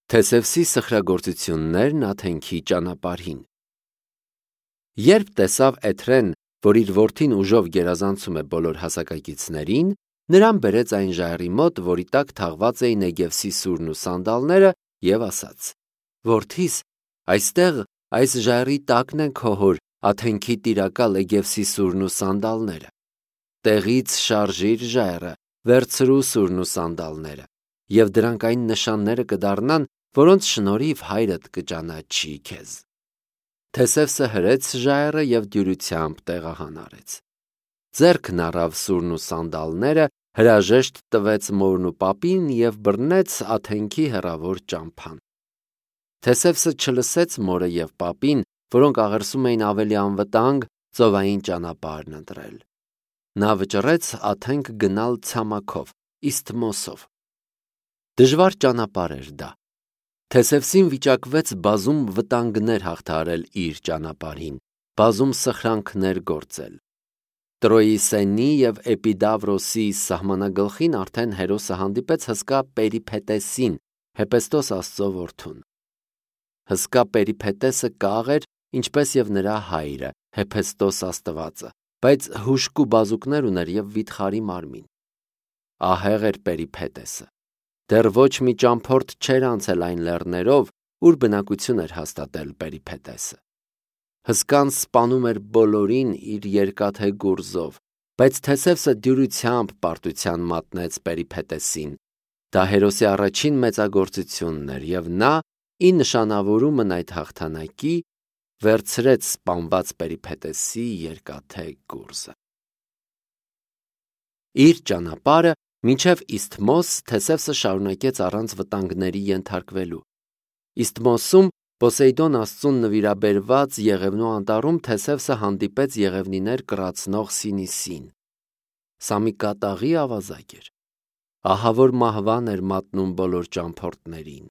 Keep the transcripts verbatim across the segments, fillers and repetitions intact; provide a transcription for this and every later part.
Թեսևսի սխրագործություններն Աթենքի ճանապարհին։ Երբ տեսավ Էթրեն, որ իր որդին ուժով գերազանցում է բոլոր հասակակիցներին, նրան բերեց այն ժայռի մոտ, որի տակ թաղված էին Նեգևսի սուրն ու սանդալները, եւ ասաց. «Որդիս, այստեղ այս ժայռի տակն են քո հոր Աթենքի տիրակալ Էգևսի սուրն ու սանդալները։ Տեղից շարժիր ժայռը, վերցրու սուրն ու սանդալները, եւ դրանք այն նշանները կդառնան, որոնց շնորհիվ հայրդ կճանաչի քեզ»։ Թեսևսը հրեց ժայռը եւ դյուրությամբ տեղահան արեց։ Ձեռքն առավ սուրն ու սանդալները, հրաժեշտ տվեց մորն ու պապին եւ բռնեց Աթենքի հեռավոր ճամփան։ Թեսևսը չլսեց մորը եւ պապին, որոնք աղերսում էին ավելի անվտանգ ծովային ճանապարհն ընտրել։ Նա վճռեց Աթենք գնալ ցամաքով, Իսթմոսով։ Դժվար ճանապարհ էր դա։ Թեսևսին վիճակվեց բազում վտանգներ հաղթահարել իր ճանապարհին, բազում սխրանքներ գործել։ Տրոյի Սենի եւ Էպիդավրոսի սահմանագլխին արդեն Հերոսը հանդիպեց հսկա Պերիփետեսին, Հեպեստոս աստծո որդուն։ Հսկա Պերիփետեսը կաղ էր, ինչպես եւ նրա հայրը, Հեպեստոս աստվածը, բայց հուժկու բազուկներ ուներ եւ վիթխարի մարմին։ Ահեղ էր Պերիփետեսը։ Դեռ ոչ մի ճամփորդ չէր անցել այն լեռներով, ուր բնակություն էր հաստատել Պերիփետեսը։ Հսկան սպանում էր բոլորին իր երկաթե գուրզով, բայց Թեսևսը դյուրությամբ պարտության մատնեց Պերիփետեսին։ Դա Հերոսի առաջին մեծագործությունն էր, եւ նա, ի նշանավորումն այդ հաղթանակի, վերցրեց սպանված Պերիփետեսի երկաթե գուրզը։ Իր ճանապարհը մինչև Իսթմոս Թեսևսը շարունակեց առանց վտանգների ենթարկվելու։ Իսթմոսում Պոսեյդոն աստծուն նվիրաբերված Եղևնու անտառում Թեսևսը հանդիպեց եղևնիներ կռացնող Սինիսին։ Սա մի կատաղի ավազակ էր։ Ահավոր մահվան էր մատնում բոլոր ճամփորդներին։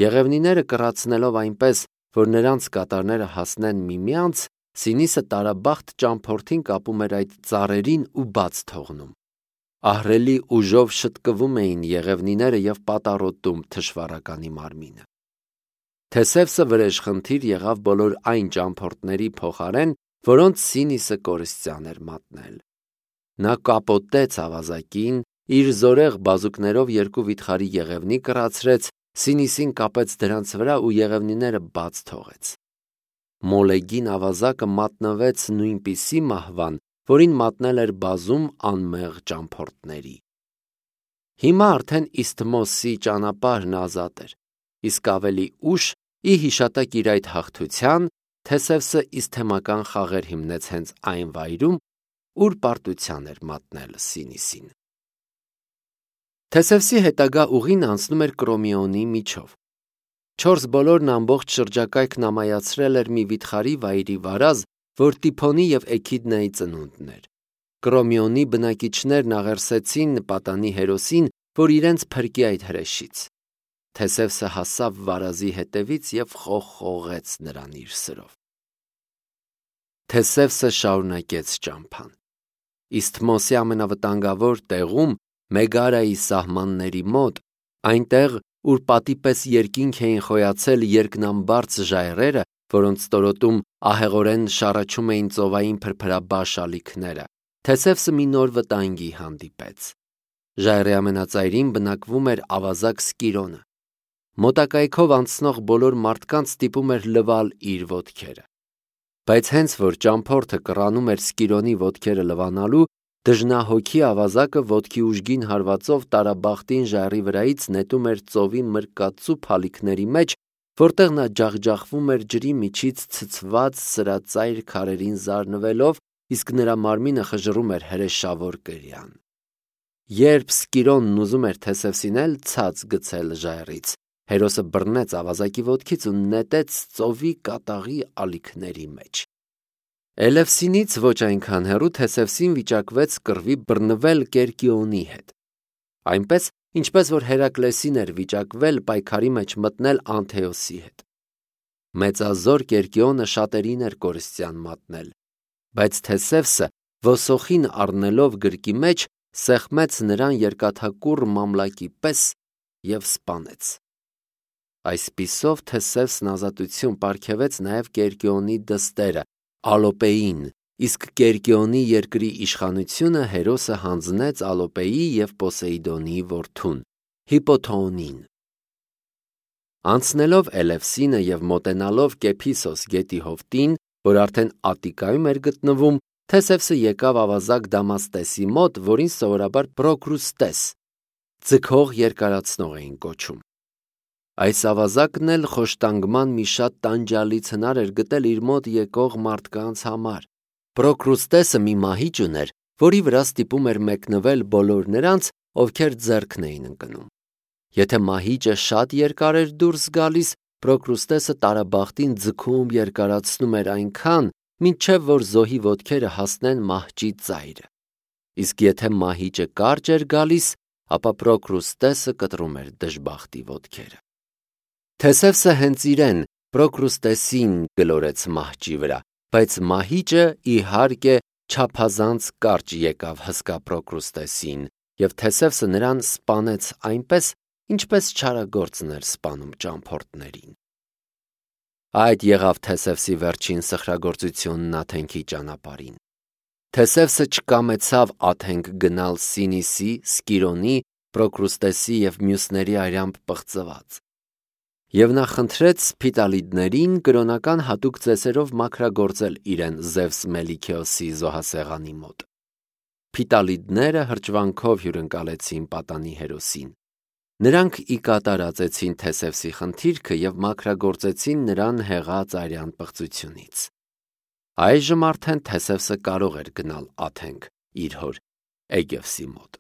Եղևնիները կռացնելով այնպես, որ նրանց կատարները հասնեն միմյանց, Սինիսը տարաբախտ ճամփորդին կապում էր այդ ծառերին ու բաց թողնում։ Ահռելի ուժով շտկվում էին եղևնիները եւ պատառոտում թշվառականի մարմինը։ Թեսևսը վրեժխնդիր եղավ բոլոր այն ճամփորդների փոխարեն, որոնց Սինիսը կորստյան էր մատնել։ Նա կապոտեց ավազակին, իր զորեղ բազուկներով երկու վիթխարի եղևնի կռացրեց, Սինիսին կապեց դրանց վրա ու եղևնիները բաց թողեց։ Մոլեգին ավազակը մատնվեց նույնպիսի մահվան, որին մատնել էր բազում անմեղ ճամփորդների։ Հիմա արդեն Իսթմոսի ճանապարհն ազատ էր, իսկ ավելի ուշ, ի հիշատակ իր այդ հաղթության, Թեսևսը իսթեմական խաղեր հիմնեց հենց այն վայրում, ուր պարտության էր մատնել Սինիսին։ Թեսևսի հետագա ուղին անցնում էր Կրոմիոնի միջով։ Չորս բոլորն ամբողջ շրջակայքն ամայացրել էր մի վիթխարի վայրի վարազ, որ Տիփոնի եւ Էքիդնայի ծնունդն էր։ Կրոմիոնի բնակիչներն աղերսեցին պատանի Հերոսին, որ իրենց փրկի այդ հրեշից։ Թեսևսը հասավ վարազի հետևից եւ խողխողեց նրան իր սրով։ Թեսևսը շարունակեց ճամփան։ Իսթմոսի ամենավտանգավոր տեղում, Մեգարայի սահմանների մոտ, այնտեղ, ուր պատի պես երկինք էին խոյացել երկնամբարձ ժայռերը, որոնց ստորոտում ահեղորեն շառաչում էին ծովային փրփրաբաշ ալիքները, Թեսևսը մի նոր վտանգի հանդիպեց։ Ժայռի ամենածայրին բնակվում էր ավազակ Սկիրոնը։ Մոտակայքով անցնող բոլոր մարդկանց ստիպում էր լվալ իր ոտքերը։ Բայց հենց որ ճամփորդը կռանում էր Սկիրոնի ոտքերը լվանալու, դժնահոգի ավազակը ոտքի ուժգին հարվածով տարաբախտին ժայռի վրայից նետում էր ծովի մրկածու փալիքների մեջ, որտեղ նա ջախջախվում էր ջրի միջից ցցված սրածայր քարերին զարնվելով, իսկ նրա մարմինը խժռում էր հրեշավոր կրյան։ Երբ Սկիրոնն ուզում էր Թեսևսին էլ ցած գցել ժայռից, Հերոսը բռնեց ավազակի ոտքից ու նետեց ծովի կատաղի ալիքների մեջ։ Էլևսինից ոչ այնքան հեռու Թեսևսին վիճակվեց կռվի բռնվել Կերկիոնի հետ։ Այնպես, ինչպես որ Հերակլեսին էր վիճակվել պայքարի մեջ մտնել Անթեոսի հետ։ Մեծազոր Կերկիոնը շատերին էր կորստյան մատնել, բայց Թեսևսը ոսոխին առնելով գրկի մեջ սեղմեց նրան երկաթակուռ մամլակի պես և սպանեց։ Այսպիսով Թեսևսն ազատություն պարգևեց նաև Կերկիոնի դստերը, Ալոպեին, իսկ Կերկիոնի երկրի իշխանությունը Հերոսը հանձնեց Ալոպեի և Պոսեիդոնի որդուն, Հիպոթոոնին։ Անցնելով Էլևսինը և մոտենալով Կեփիսոս գետի հովտին, որ արդեն Ատիկայում էր գտնվում, Թեսևսը եկավ ավազակ Դամաստեսի մոտ, որին սովորաբար Պրոկրուստես, ձգող երկարացնող էին կոչում։ Այս ավազակն էլ խոշտանգման մի շատ տանջալից հնար էր գտել իր մոտ եկող մարդկանց համար։ Պրոկրուստեսը մի մահիճ ուներ, որի վրա ստիպում էր մեկնվել բոլոր նրանց, ովքեր ձեռքն էին ընկնում։ Եթե մահիճը շատ երկար էր դուրս գալիս, Պրոկրուստեսը տարաբախտին ձգում երկարացնում էր այնքան, մինչև որ զոհի ոտքերը հասնեն մահճի ծայրը։ Իսկ եթե մահիճը կարճ էր գալիս, ապա Պրոկրուստեսը կտրում էր դժբախտի ոտքերը։ Թեսևսը հենց իրեն Պրոկրուստեսին գլորեց մահճի վրա, բայց մահիճը իհարկե չափազանց կարճ եկավ հսկա Պրոկրուստեսին, և Թեսևսը նրան սպանեց այնպես, ինչպես չարագործն էր սպանում ճամփորդներին։ Այդ եղավ Թեսևսի վերջին սխրագործությունն Աթենքի ճանապարհին։ Թեսևսը չկամեցավ Աթենք գնալ Սինիսի, Սկիրոնի, Պրոկրուստեսի և մյուսների արյամբ պղծված։ Եվ նա խնդրեց Սփիտալիդներին կրոնական հատուկ ծեսերով մաքրագործել իրեն Զևս Մելիքեոսի զոհասեղանի մոտ։ Փիտալիդները հրճվանքով հյուրընկալեցին պատանի հերոսին։ Նրանք ի կատար ածեցին Թեսևսի խնդիրքը և մաքրագործեցին նրան հեղած արյան պղծությունից։ Այժմ արդեն Թեսևսը կարող էր գնալ Աթենք իր հոր Էգևսի մոտ։